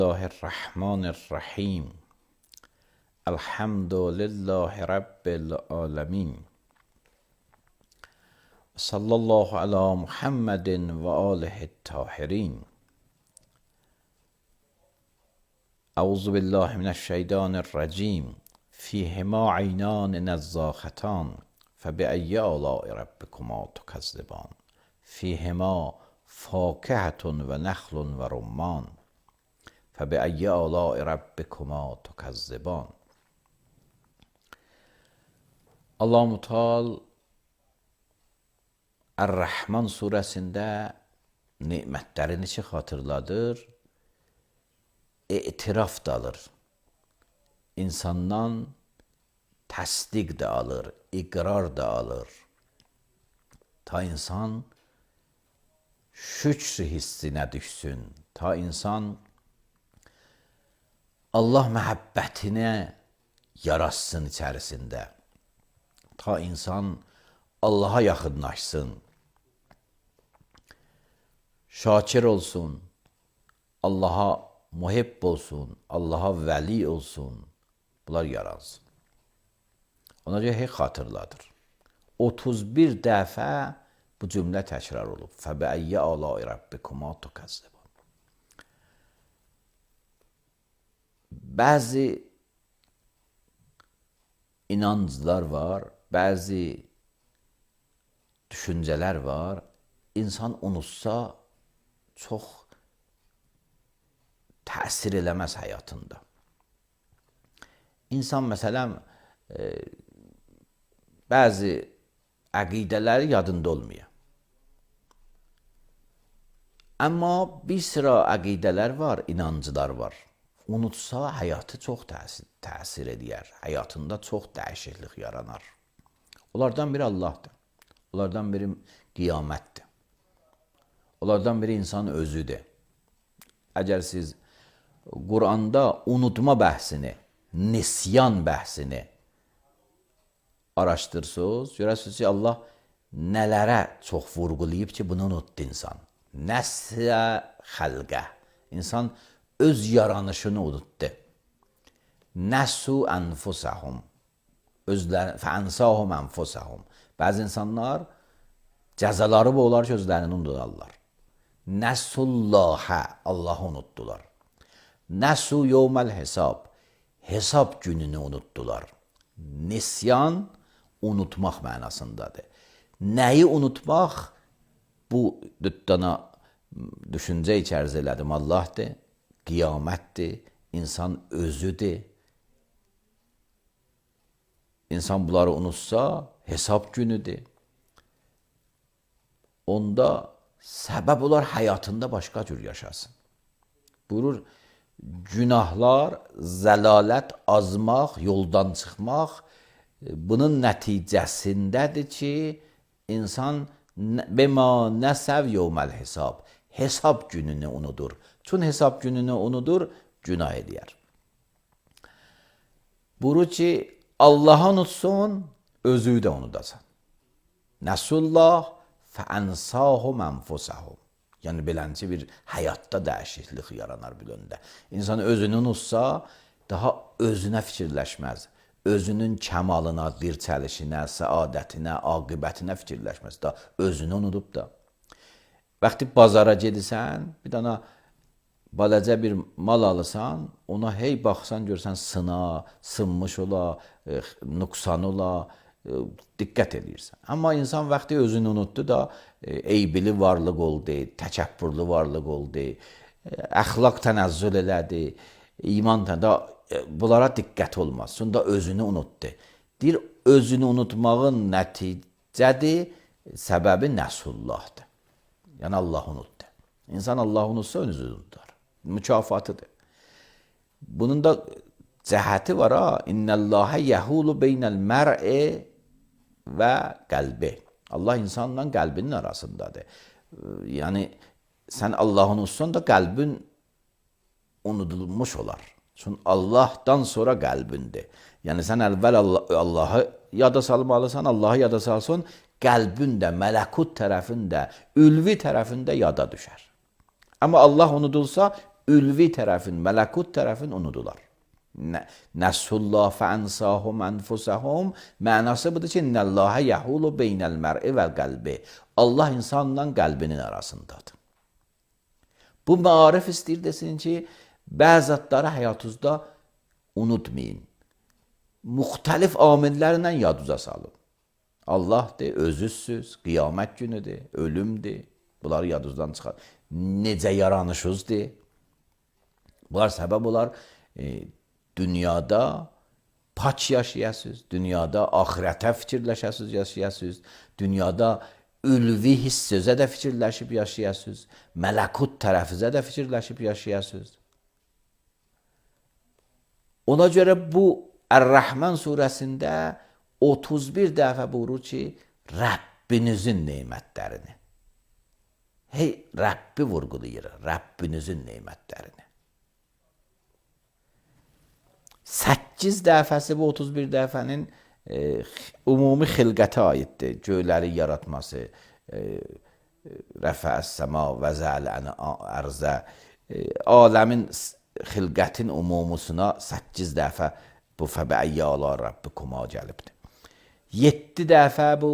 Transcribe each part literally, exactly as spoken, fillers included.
الله الرحمن الرحیم الحمد لله رب العالمین صلی الله علی محمد و آله الطاهرین. اعوذ بالله من الشیطان الرجیم فیهما عینان نضاختان فبأی آلاء ربکما تکذبان فیهما فاکهة و نخل و رمان فبأی آلاء ربکما تکذبان. Allah-u Teala Er-Rahman surəsində nemətlərini ki xatırladır, etiraf da alır, insandan təsdiq də alır, iqrar da alır. Ta insan şükr hissinə düşsün, ta insan Allah məhəbbətinə yaraşsın içərisində, ta insan Allaha yaxınlaşsın, şakir olsun, Allaha muhibb olsun, Allaha vəli olsun, bunlar yaransın. Ona görə heç xatırladır. otuz bir dəfə bu cümlə təkrar olub. Fəbəəyyə aləi rabbikuma tukəzzibun. Bəzi inanclar var, bəzi düşüncələr var. İnsan unutsa çox təsir eləməz həyatında. İnsan məsələn e, bəzi əqidələri yadında olmuyor. Amma bir sıra əqidələr var, inancılar var. Unutsa həyatı çox təsir, təsir edər, həyatında çox dəyişiklik yaranar. Onlardan biri Allahdır, onlardan biri qiyamətdir, onlardan biri insan özüdür. Əgər siz Quranda unutma bəhsini, nisyan bəhsini araşdırsınız, görəsiniz ki, Allah nələrə çox vurğulayıb ki, bunu unutdu insan. Nəsə xəlqə, insan öz yaranışını unutdu. Nəsu ənfusəhum, fəənsahum ənfusəhum. Bəzi insanlar cəzaları bu olar ki, özlərini unudarlar. Nəsullahə, Allahı unutdular. Nəsu yevməl hesab, hesab gününü unutdular. Nisyan, unutmaq mənasındadır. Nəyi unutmaq? Bu düddana düşüncə içəriz elədim. Allahdır, qiyamətdir, insan özüdür. İnsan bunları unutsa, hesab günüdür. Onda səbəb olar həyatında başqa cür yaşasın. Buyurur, günahlar, zəlalət, azmaq, yoldan çıxmaq, bunun nəticəsindədir ki, insan bəma nəsəv yevməl hesab, hesab gününü unudur. Çün hesab gününü unudur, günah edər. Buyurur ki, Allah'ı unutsun, özü də unudasan. Nəsullah fəənsahum ənfusəhum. Yəni, beləncə bir həyatda dəyişiklik yaranar biləndə. İnsan özünü unutsa, daha özünə fikirləşməz. Özünün kəmalına, dirçəlişinə, səadətinə, aqibətinə fikirləşməz. Da özünü unudub da. Vaxtı bazara gedirsən, bir dana balaca bir mal alırsan, ona hey baxsan, görsən sına, sınmış ola, e, nüqsan ola, e, diqqət edirsən. Amma insan vaxtı özünü unutdu da, e, eybili varlıq oldu, təkəbbürlü varlıq oldu, e, əxlaq tənəzzül elədi, iman da e, bunlara diqqət olmaz. Sonra özünü unutdu. Deyir, özünü unutmağın nəticədir, səbəbi nəsullahdır. Yəni, Allah unutdu. İnsan Allah unutsa, önünüzü unutar. Mükafatıdır. Bunun da cəhəti var ha. İnnəllahə yəhulu beynəl mər'i və qəlbi. Allah insanla qəlbinin arasındadır. Yəni, sən Allah'ı unutsan da qəlbin unudulmuş olar. Çünki Allah'dan sonra qəlbindir. Yəni, sən əvvəl Allah'ı yada salmalısan, Allah'ı yada salsın, qəlbin də, mələkut tərəfində, ülvi tərəfində yada düşər. Amma Allah unudulsa, ülvi tərəfin, mələkut tərəfin unudular. Nəsullah fəənsahum ənfusəhum mənası budur ki, İnnəlləhə yəhulu beynəl mər'i vəl qəlbi. Allah insanla qəlbinin arasındadır. Bu maarif istəyir desin ki, bəzi zatları həyatınızda unutmayın. Müxtəlif amillərlə yadınıza salın. Allahdır, özüzsüz, qiyamət günüdür, ölümdür. Bunları yadınızdan çıxar. Necə yaranışınızdır. Bunlar səbəb olar, e, dünyada paç yaşayasınız, dünyada ahirətə fikirləşəsiniz, yaşayasınız, dünyada ülvi hiss sözə də fikirləşib yaşayasınız, mələkut tərəfizə də fikirləşib yaşayasınız. Ona görə bu Ər-Rəhman surəsində otuz bir dəfə buyurur ki, Rəbbinizin neymətlərini. Hey, Rəbbi vurğulayır, Rəbbinizin neymətlərini. səkkiz dəfəsi bu otuz bir dəfənin e, ümumi xilqətə aiddir. Göyləri yaratması, e, rəfəs-səma və zələni ərzə, e, aləmin xilqətin umumusuna səkkiz dəfə bu fəbəiyyə ala Rabbikuma gəlibdir. yeddi dəfə bu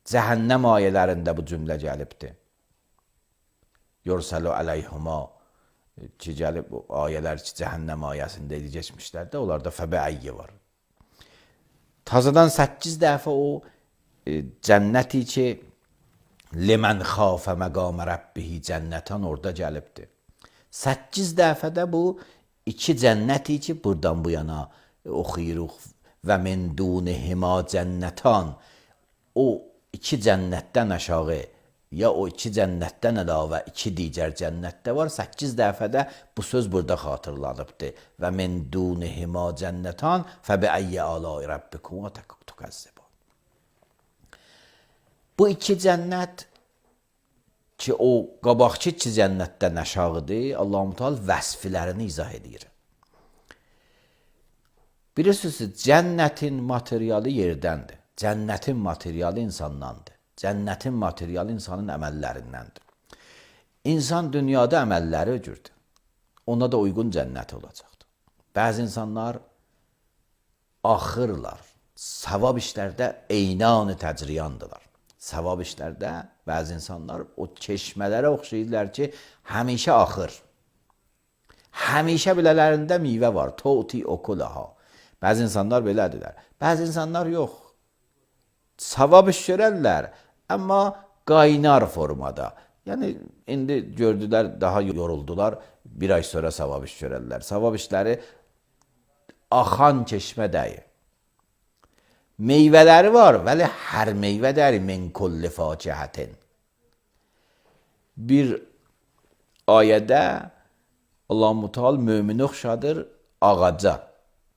cəhənnəm ayələrində bu cümlə gəlibdir. Yursəlu əleyhuma ki, gəlib o ayələr ki, cəhənnəm ayəsində geçmişlərdə, onlarda fəbəiyyə var. Tazadan səkkiz dəfə o e, cənnəti ki, limən xafə məqamə rəbbihi cənnətən orada gəlibdir. səkkiz dəfə də bu iki cənnəti ki, buradan bu yana oxuyuruq və min dunihima cənnətan. O iki cənnətdən aşağı ya o iki cənnətdən əlavə iki digər cənnətdə var. səkkiz dəfə də bu söz burada xatırlanıbdır. Və min dunihima cənnətan fəbiəyyə alâi rabbikuma tukəzzibun. Bu iki cənnət ki, o qabaqçı iki cənnətdən aşağıdır, Allah-u Teala vəsflərini izah edir. Bilirsiniz, cənnətin materialı yerdəndir. Cənnətin materialı insandandır. Cənnətin materialı insanın əməllərindəndir. İnsan dünyada əməlləri öcürdür. Ona da uyğun cənnət olacaqdır. Bəzi insanlar axırlar. Savab işlərdə eynanı təcriyandılar. Savab işlərdə bəzi insanlar o çeşmələrə oxşayırlar ki, həmişə axır. Həmişə bilələrində meyvə var. Tuti okulaha. Bəzi insanlar belədirlər. Bəzi insanlar yox. Savab iş görərlər, amma qaynar formada. Yəni, indi gördülər, daha yoruldular, bir ay sonra savab iş görərlər. Savab işləri axan çeşmə deyil. Meyvələri var, vəli hər meyvə deyil, min kulli facihətin. Bir ayədə Allah-u Teala mümini oxşadır ağaca.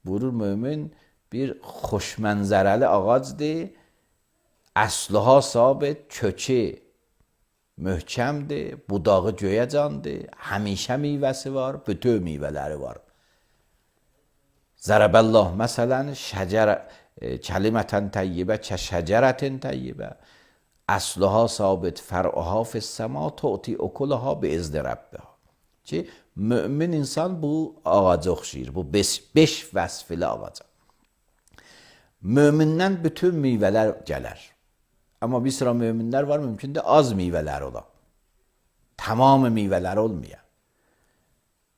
Buyurur, mümin bir xoşmənzərəli ağacdır, əsliha sabit, kökü möhkəmdir, budağı göyəcandır, həmişə meyvəsi var, bütün meyvələri var. Zərəbəllah məsələn, şəcər, kəlimətən təyyibə, kə şəcərətin təyyibə, əsliha sabit, fər'uha fissəma, tu'ti okulaha bi izni rəbbiha. Ki, mümin insan bu ağaca oxşayır, bu beş, beş vəsfili ağaca. Mömindən bütün meyvələr gələr. Amma bir sıra möminlər var, mümkündür az meyvələr ola. Tamamı meyvələr olmaya.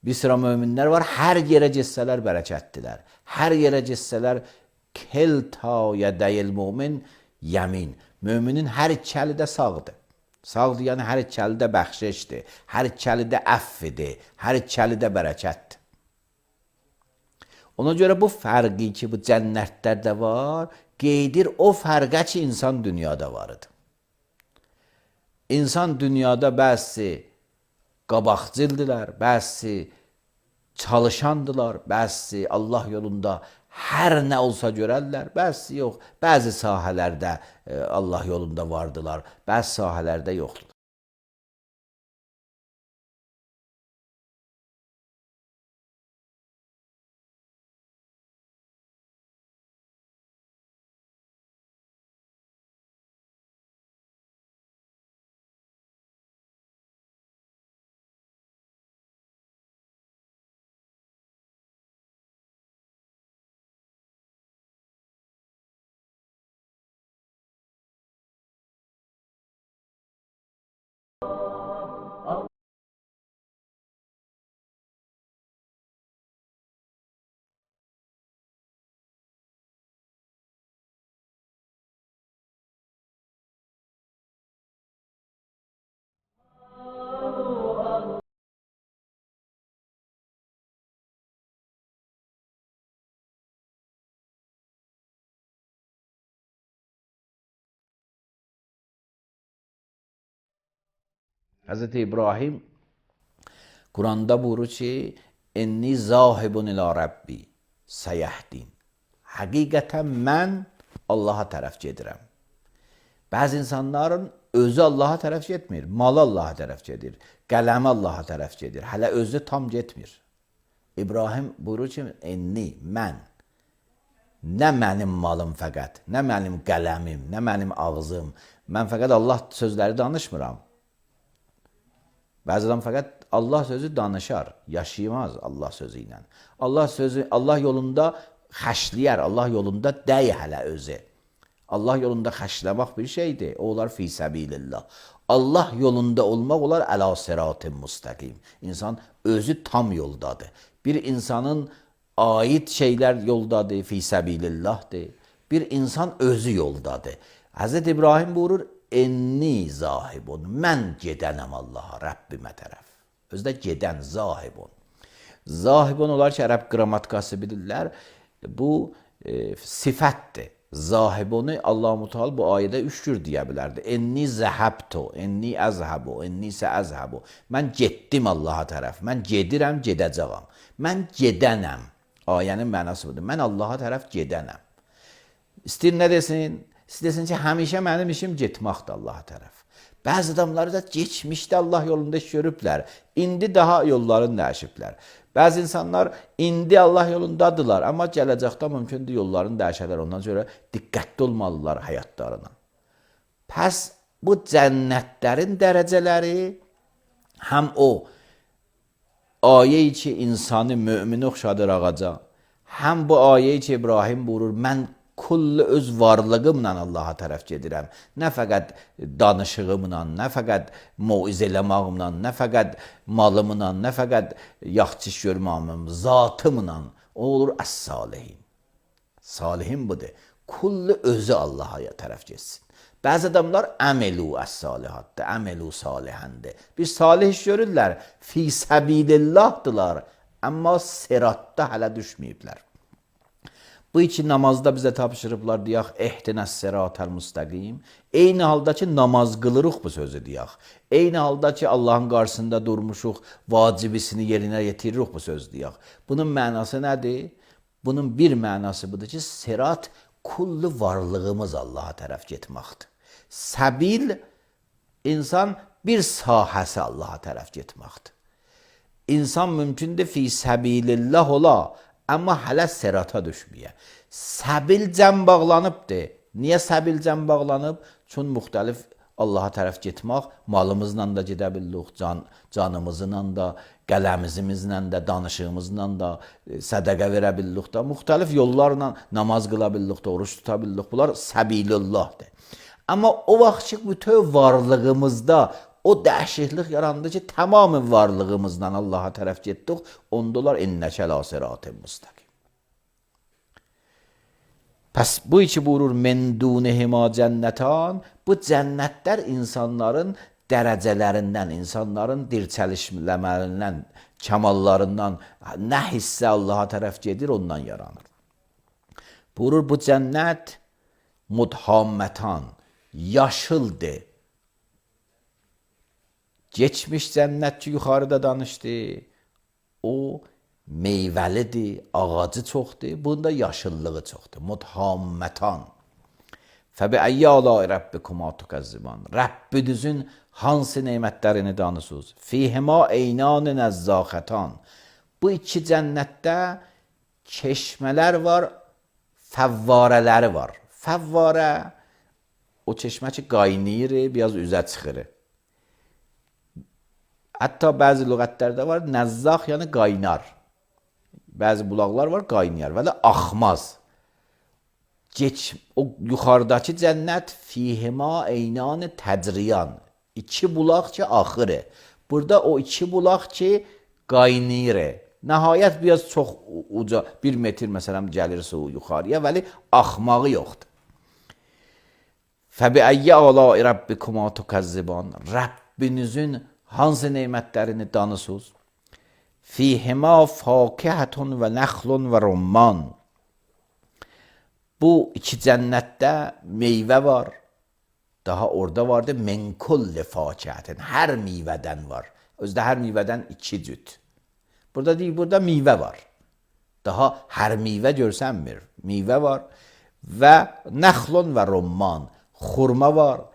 Bir sıra möminlər var, hər yerə getsələr bərəkətdilər. Hər yerə getsələr kelta yədəyil mümin yəmin. Müminin hər iki əli də sağdır. Sağdır, yəni hər iki əli də bəxşişdir, hər iki əli də əffidir, hər iki əli də bərəkətdir. Ona görə bu fərqi ki, bu cənnətlərdə var, qeydir o fərqə ki, insan dünyada varıdır. İnsan dünyada bəzi qabaqcıldırlar, bəzi çalışandılar, bəzi Allah yolunda hər nə olsa görərlər, bəzi yox. Bəzi sahələrdə Allah yolunda vardılar, bəzi sahələrdə yoxdur. Hazreti İbrahim Kuranda buyurur ki enni zahibun ila rabbi seyahdin. Həqiqətən mən Allaha tərəf gedirəm. Bəzi insanların özü Allaha tərəf getmir, malı Allaha tərəf gedir, qələmi Allaha tərəf gedir, hələ özü tam getmir. İbrahim buyurur ki enni, mən, nə mənim malım fəqət, nə mənim qələmim, nə mənim ağzım, mən fəqət Allah sözləri danışmıram. Bəzi adam fəqət Allah sözü danışar, yaşayamaz Allah sözü ilə. Allah sözü, Allah yolunda xəşləyər, Allah yolunda dəy hələ özü. Allah yolunda xəşləmək bir şeydir, o olar fi səbilillah. Allah yolunda olmaq olar əla sıratın müstəqim. İnsan özü tam yoldadır. Bir insanın ait şeylər yoldadır, fi səbilillahdır. Bir insan özü yoldadır. Həzrət İbrahim buyurur, enni zahibun, mən gedənəm Allaha, Rəbbimə tərəf. Özdə gedən, zahibun. Zahibun olar ki, ərəb qrammatikası bilirlər, bu e, sifətdir. Zahibunu Allah-u Teala bu ayədə üç cür deyə bilərdi. Enni zəhəbtu, enni əzhəbu, enni isə əzhəbu. Mən getdim Allaha tərəf, mən gedirəm, gedəcəyəm. Mən gedənəm. Ayənin mənası budur. Mən Allaha tərəf gedənəm. İstəyir nə desin? İstəsin ki, həmişə mənim işim getməkdir Allaha tərəf. Bəzi adamları da geçmişdə Allah yolunda iş görüblər. İndi daha yollarını dəyişiblər. Bəzi insanlar indi Allah yolundadılar, amma gələcəkdə mümkündür yollarını dəyişərlər. Ondan sonra diqqətli olmalılar həyatlarına. Pəs bu cənnətlərin dərəcələri həm o ayə-i ki, insanı mümini oxşadır ağaca, həm bu ayə-i ki, İbrahim buyurur, mən kullu öz varlığımla Allaha tərəf gedirəm. Nə fəqət danışığımla, nə fəqət moiz eləmağımla, nə fəqət malımla, nə fəqət yaxçı iş görməyimlə, zatımla. O olur əs-salihin. Salihin budur. Kullu özü Allaha tərəf getsin. Bəzi adamlar əmelu əs-salihatdır, əmelu salihəndir. Bir salih iş görürlər, fi səbilillahdılar, amma siratda hələ düşməyiblər. Bu iki namazda bizə tapşırıblar, deyək, ehdinəs siratal müstəqim. Eyni halda ki, namaz qılırıq bu sözü deyək. Eyni halda ki, Allahın qarşısında durmuşuq, vacibisini yerinə yetiririk bu sözü deyək. Bunun mənası nədir? Bunun bir mənası budur ki, sirat kullu varlığımız Allaha tərəf getməkdir. Səbil, insan bir sahəsi Allaha tərəf getməkdir. İnsan mümkündür fi səbilillah ola, amma hələ sirata düşməyə. Səbil cəm bağlanıbdır. Niyə səbil cəm bağlanıb? Çün müxtəlif Allaha tərəf getmək, malımızla da gedə bilirik, can, canımızla da, qələmizimizlə də, danışığımızla da, sədəqə verə bilirik da, müxtəlif yollarla namaz qıla bilirik da, oruç tuta bilirik. Bunlar səbilullahdır. Amma o vaxt ki, bütün varlığımızda o dəhşətlik yarandı ki, tamamı varlığımızla Allaha tərəf getdik, ondalar innəkə la sıratın müstəqim. Pəs bu iki buyurur, men dunihima cənnətan, bu cənnətlər insanların dərəcələrindən, insanların dirçəlişləmərindən, kəmallarından, nə hissə Allaha tərəf gedir, ondan yaranır. Buyurur, bu cənnət mudhammətan, yaşıldır. Geçmiş cənnət ki, yuxarıda danışdı, o meyvəlidir, ağacı çoxdur, bunda yaşıllığı çoxdur. Mudhammətan. Fəbi-əyyə əlâi rabbikuma tukəzziban. Rəbbinizin hansı nemətlərini danısınız? Fihima eynân nəzzâxətan. Bu iki cənnətdə çeşmələr var, fəvvarələri var. Fəvvarə, o çeşmə ki, qaynayır, biraz üzə çıxır. Hətta bəzi lüğətlərdə var, nəzzaq, yəni qaynar. Bəzi bulaqlar var, qaynayar və də axmaz. Geç, o yuxarıdakı cənnət fihima eynanı təcriyan. İki bulaq ki, axırı. Burada o iki bulaq ki, qaynayır. Nəhayət biraz çox uca, bir metr məsələn gəlir su yuxarıya, vəli axmağı yoxdur. Fəbi-əyyə əlâi rabbikuma tukəzziban. Rəbbinizin hansı neymətlərini danısınız? Fihima fakihətun və nəxlun və rumman. Bu iki cənnətdə meyvə var, Daha orada vardı min kulli fakihatin. Her meyvədən var. Özdə hər meyvədən iki cüt. Burada deyil, burada meyvə var. Daha hər meyvə görsənmir. Meyvə var və nəxlun və rumman. Xurma var,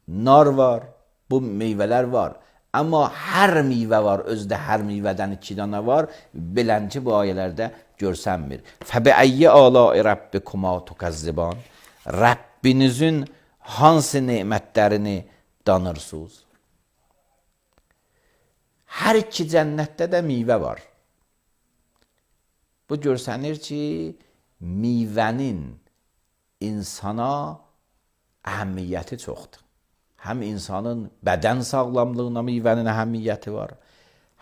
nar var, bu meyvələr var. Amma hər meyvə var, özdə hər meyvədən iki dana var. Belənci bu ayələrdə görsənmir. Fəbiəyyi əlai rabbikuma tukəzziban. Rəbbinizin hansı nemətlərini danırsınız? Hər iki cənnətdə də meyvə var. Bu görsənir ki, meyvənin insana əhəmiyyəti çoxdur. Həm insanın bədən sağlamlığına meyvənin əhəmiyyəti var,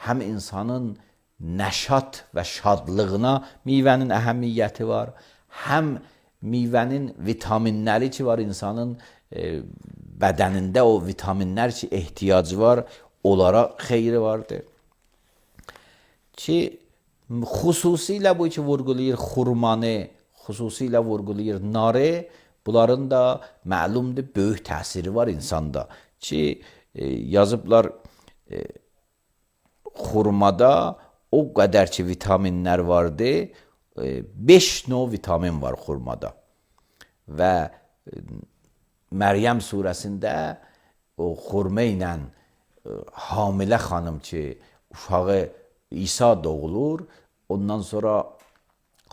həm insanın nəşat və şadlığına meyvənin əhəmiyyəti var, həm meyvənin vitaminləri ki var, insanın e, bədənində o vitaminlər ki ehtiyacı var, onlara xeyri vardır. Ki xüsusilə bu ki vurğulayır xurmanı, xüsusilə vurğulayır narı, bunların da məlumdur böyük təsiri var insanda. Ki e, yazıblar e, xurmada o qədər ki vitaminlər vardı, e, beş növ vitamin var xurmada. Və e, Məryəm surəsində o xurma ilə e, hamilə xanım ki uşağı İsa doğulur, ondan sonra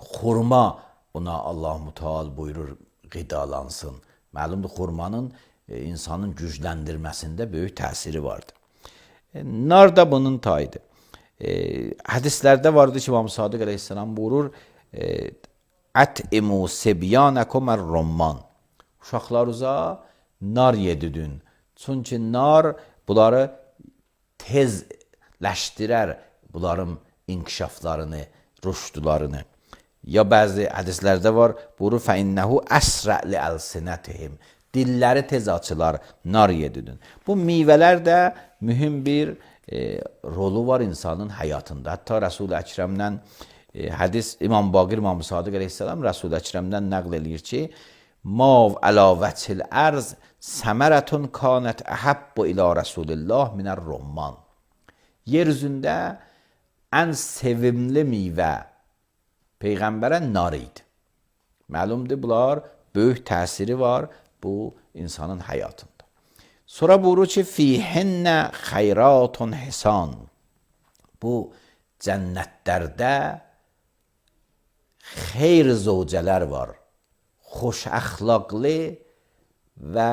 xurma ona Allah-u Teala buyurur qidalansın. Məlumdur, xurmanın e, insanın gücləndirməsində böyük təsiri vardır. E, nar da bunun tayıdır. E, hədislərdə vardı ki, İmam Sadiq əleyhissalam buyurur, e, ət'imu sibyanakum er-rumman. Uşaqlarınıza nar yedirin. Çünki nar bunları tezləşdirər, bunların inkişaflarını, rüşdlarını. Ya bəzi hədislərdə var, buyurur, fəinnəhu əsrə li-əlsinətihim. Dilləri tez açılar, nar yedirin. Bu meyvələr də mühüm bir e, rolu var insanın həyatında. Hətta Rəsul-i Əkrəmdən e, hədis İmam Baqir İmam Sadiq əleyhissalam Rəsul-i Əkrəmdən nəql eləyir ki, mav əla vəçil ərz səmərətun kanət əhəbbu ilə Rəsulillah minər rumman. Yer üzündə ən sevimli meyvə Peyğəmbərə nar idi. Məlumdur, bunlar böyük təsiri var bu insanın həyatında. Sonra buyurur ki, fihinnə xeyratun hisan. Bu cənnətlərdə xeyr zövcələr var. Xoş əxlaqlı və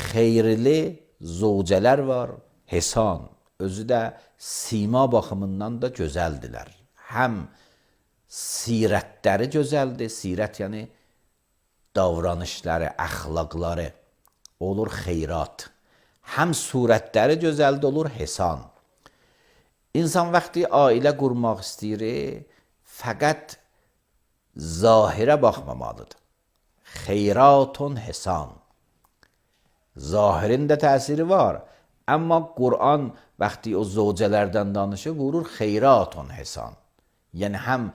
xeyirli zövcələr var. Hisan. Özü də sima baxımından da gözəldilər. Həm sirətləri gözəldir. Sirət yəni davranışları, əxlaqları olur xeyrat. Həm surətləri gözəldir, olur hisan. İnsan vaxtı ailə qurmaq istəyir, fəqət zahirə baxmamalıdır. Xeyratun hisan. Zahirin də təsiri var. Amma Qur'an vaxtı o zövcələrdən danışır, vurur xeyratun hisan. Yəni həm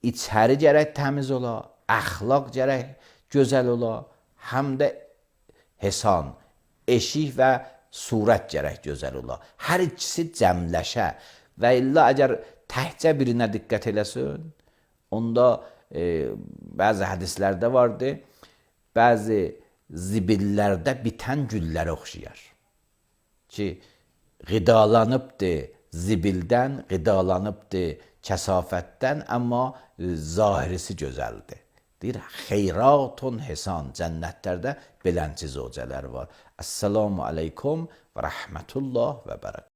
içəri gərək təmiz ola, əxlaq gərək gözəl ola, həm də hisan, eşik və surət gərək gözəl ola. Hər ikisi cəmləşə və illa əgər təhcə birinə diqqət eləsin, onda e, bəzi hədislərdə vardı, bəzi zibillərdə bitən güllərə oxşayar. Ki, qidalanıbdır zibildən, qidalanıbdır kəsafətdən, amma zahirisi gözəldir. Deyir, xeyratun hisan. Cənnətlərdə belənci zövcələr var. Əssalamu aleykum və rəhmətullah və bərəkət.